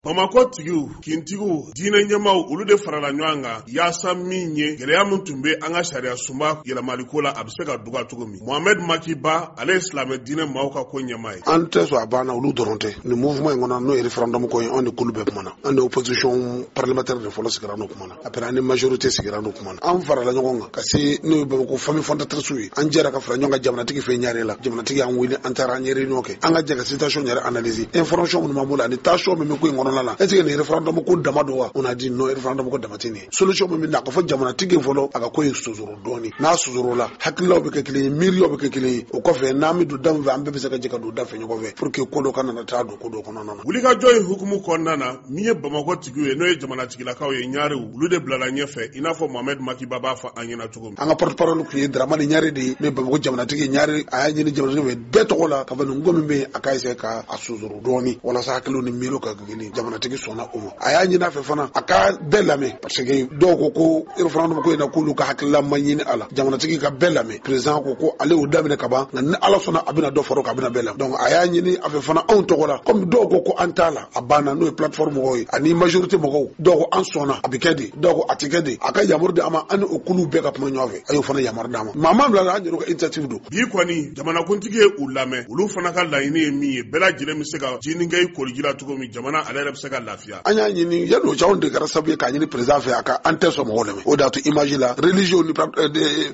Bamakɔ tigiw, kintigiw, diinɛ ɲɛmaaw, olu de farala ɲɔgɔn kan yaasa min ye gɛlɛya min tun bɛ an ka sariya sunba yɛlɛmaliko la, a bɛ se ka duga cogo min. Mohamed Makiba, ale ye silamɛ diinɛ maaw ka ko ɲɛmaa ye. An tɛ sɔn a banna, olu dɔrɔn tɛ. Nin mouvement in kɔnɔ, n'o ye référendum ko ye, anw ni kulu bɛɛ kumana. An ni opposition parlementaire de fɔlɔ sigira, n'o kumana. Après, an ni majorité sigira, n'o kumana. An farala ɲɔgɔn kan ka se n'o ye Bamakɔ famille fondatrice ye. An jɛra ka fara ɲɔgɔn kan jamanatigi fɛ ɲare la. Jamanatigi y'an wele, an taara, an ye réunion kɛ. An ka jɛ ka situation yɛrɛ analyser, information minnu b'an bolo ani tension min bɛ ko in kɔnɔna la. Est ce que nin référendum ko dama don wa? On a dit non, référendum ko dama tɛ nin ye. Solution min bɛ na, a ka fɔ jamanatigi fɔlɔ, a ka ko in sonsoro dɔɔni. N'a sonsoro la, hakililaw bɛ kɛ kelen ye, miiriyaw bɛ kɛ kelen ye. O kɔfɛ, n'an bɛ don da min fɛ, an bɛɛ bɛ se ka jɛ ka don da fɛ ɲɔgɔn fɛ pour que ko dɔ kana na taa don ko dɔ kɔnɔna na. Wulikajɔ in hukumu kɔnɔna na, min ye Bamakɔ tigiw ye, n'o ye jamanatigilakaw ye, ɲarew, olu de bilala ɲɛfɛ, i n'a fɔ Mohamed Makiba b'a fɔ an ɲɛna cogo min. An ka porte parole tun ye Dramani Ɲare de ye, n'o ye Bamakɔ jamanatigi Ɲare. A y'a ɲini jamanatigi fɛ bɛɛ tɔgɔ la ka fɔ nin ko min bɛ yen, a ka essayer ka a sonsoro dɔɔni walasa hakiliw ni miiriw ka kɛ kelen. Jamanatigi sɔnna o ma. A y'a ɲini a fɛ fana a ka bɛɛ lamɛn, parce que dɔw ko ko référendum ko in na, k'olu ka hakilila ma ɲini a la. Jamanatigi ka bɛɛ lamɛn. Président ko ko ale y'o daminɛ ka ban, nka ni Ala sɔnna, a bɛna dɔ fara o kan, a bɛna bɛɛ lamɛn. Donc a y'a ɲini a fɛ fana anw tɔgɔ la, comme dɔw ko ko an t'a la, a banna, n'o ye plateforme mɔgɔw ye ani majorité mɔgɔw. Dɔw ko an sɔnna, a bɛ kɛ de, dɔw ko a tɛ kɛ de. A ka yamaru di an ma, an ni o kuluw bɛɛ ka kuma ɲɔgɔn fɛ. A y'o fana yamaru d'an ma. Maa ma bila an yɛrɛ ka initiative don. Bi kɔni, jamanakuntigi ye u lamɛn. Olu fana ka laɲini ye min ye, bɛɛ lajɛlen bɛ se ka jinin kɛ i koliji la cogo min, jamana ale yɛrɛ bɛ se ka lafiya. An y'a ɲini yanni o cɛ, anw de kɛra sababu ye k'a ɲini président fɛ a ka an tɛ sɔn mɔgɔw lamɛn. O de y'a to image la, religieux ni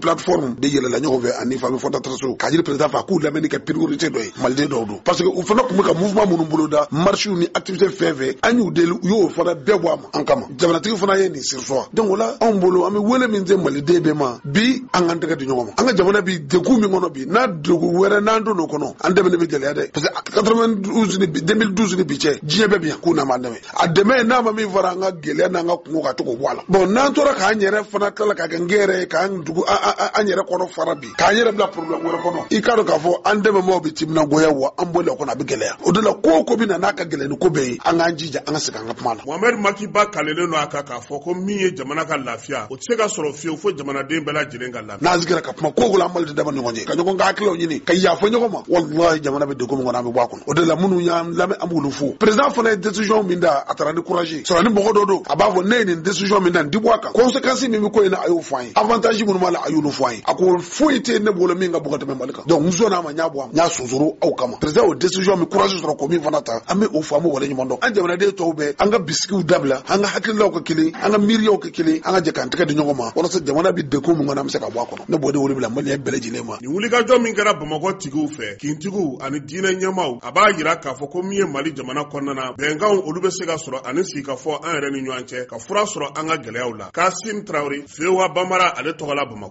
plateforme de yɛlɛla ɲɔgɔn fɛ ani famille fondatrice k'a ɲini président fɛ a k'u lamɛnni kɛ priorité dɔ ye. Maliden dɔw don, parce que u fana tun bɛ ka mouvement minnu boloda, marche ni activité fɛn fɛn, an y'u deli, u y'o fana bɛɛ bɔ a ma an kama. Jamanatigi fana ye nin surseoir. Donc o la, anw bolo, an bɛ wele min se maliden bɛɛ ma bi, an k'an tɛgɛ di ɲɔgɔn ma. An ka jamana bi degun min kɔnɔ bi, n'a degun wɛrɛ n'an donn'o kɔnɔ, an dɛmɛ bɛ gɛlɛya dɛ, parce que 92 ni 2012 ni bi cɛ, diɲɛ bɛɛ bi yan k'u n'a m'an dɛmɛ. A dɛmɛ n'a ma min fara an ka gɛlɛya n'an ka kungo ka to k'o bɔ a la. Bon, n'an tora k'an yɛrɛ fana tilala ka kɛ n yɛrɛ ye, k'an dugu an yɛrɛ kɔnɔ fara bi, k'an yɛrɛ bila problème wɛrɛ kɔnɔ, i k'a dɔn k'a fɔ an dɛmɛbaaw bɛ timinangoya wa an bɔli kɔnɔ a bɛ gɛlɛya. O de la, ko o ko bɛ na n'a ka gɛlɛn ni ko bɛɛ ye, an k'an jija, an ka segin an ka kuma la. Mohamed Makiba kalelen don a kan k'a fɔ ko min ye jamana ka lafiya, o tɛ se ka sɔrɔ fiyewu fo jamanaden bɛɛ lajɛlen ka lafiya. N'an sigira ka kuma ko o ko la, an Mali dama ni ɲɔgɔn cɛ, ka ɲɔgɔn ka hakililaw ɲini, ka yafa ɲɔgɔn ma, walahi, jamana bɛ degun min kɔnɔ, an bɛ bɔ a kɔnɔ. O de la, minnu y'an lamɛn, an b'olu fo. Président fana ye décision min da, a taara ni courage sɔrɔ. Ni mɔgɔ dɔ don, a b'a fɔ ne ye nin décision min da, nin ti bɔ a kan. Conséquence min bɛ ko in na, a y'o fɔ an ye. Avantage minnu b'a la, a y'olu fɔ an ye. A ko foyi tɛ ne bolo min ka bon ka tɛmɛ Mali kan. Donc n sɔnna a ma, n y'a bɔ a ma, n y'a sonsoro aw kama. Président o décision min courage sɔrɔ k'o min fana ta, an bɛ o fɔ, an b'o waleɲuman dɔn. An jamanaden tɔw bɛɛ, an ka bisikiw dabila, an ka hakililaw kɛ kelen, an ka miiriyaw kɛ kelen, an ka jɛ k'an tɛgɛ di ɲɔgɔn ma walasa jamana bɛ degun min kɔnɔ, an bɛ se ka bɔ a kɔnɔ. Ne b'o de wele bila maliyɛn bɛɛ lajɛlen ma. Nin wulikajɔ min kɛra Bamakɔ tigiw fɛ, kintigiw ani diinɛ ɲɛmaaw, a b'a yira k'a fɔ ko min ye Mali jamana kɔnɔna na, bɛnkanw olu bɛ se ka sɔrɔ ani sigikafɔ an yɛrɛ ni ɲɔgɔn cɛ ka fura sɔrɔ an ka gɛlɛyaw la. Kasim Tarawele, VOA Bambara, ale tɔgɔ la Bamakɔ.